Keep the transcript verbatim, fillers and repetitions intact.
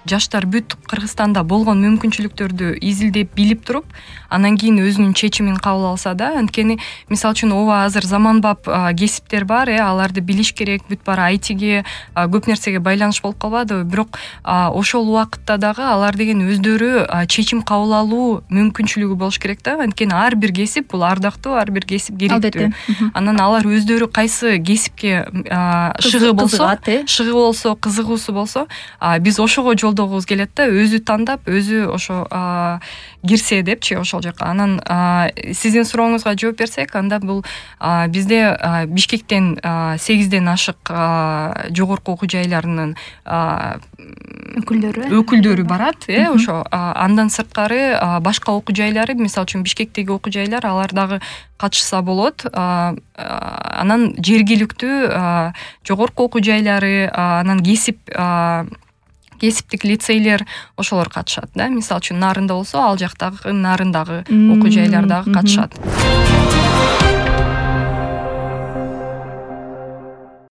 жаштар бүт Кыргызстанда болгон мүмкүнчүлүктөрдү изилдеп билип туруп, анан кийин өзүнүн чечимин кабыл алса да, анткени мисалы үчүн ооба азыр заманбап кесиптер бар, э, аларды билиш керек, бүт баары ай тиге, көп нерсеге байланыш болуп калбадыбы, бирок ошол убакытта дагы алар деген өздөрү чечим кабыл алуу мүмкүнчүлүгү болуш керек да, анткени ар бир кесип бул ардактуу, ар бир кесип керектүү. Анан алар өздөрү кайсы кесипке шыгы болсо, шыгы болсо, кызыгуусу болсо, биз ошого жолдогубуз келет да, өзү тандап, өзү ошо кирсе депчи ошол жака. Анан сиздин сурооңузга жооп берсек, анда бул бизде Бишкектен сегизден ашык жогорку окуу жайларынын өкүлдөрү өкүлдөрү барат, э, ошо андан сырткары башка окуу жайлары, мисалы үчүн Бишкектеги окуу жайлар, алар дагы катышса болот. Анан жергиликтүү жогорку окуу жайлары, анан кесип кесиптик лицейлер ошолор катышат да. Мисалы үчүн Нарында болсо, ал жактагы Нарындагы окуу жайлар дагы катышат.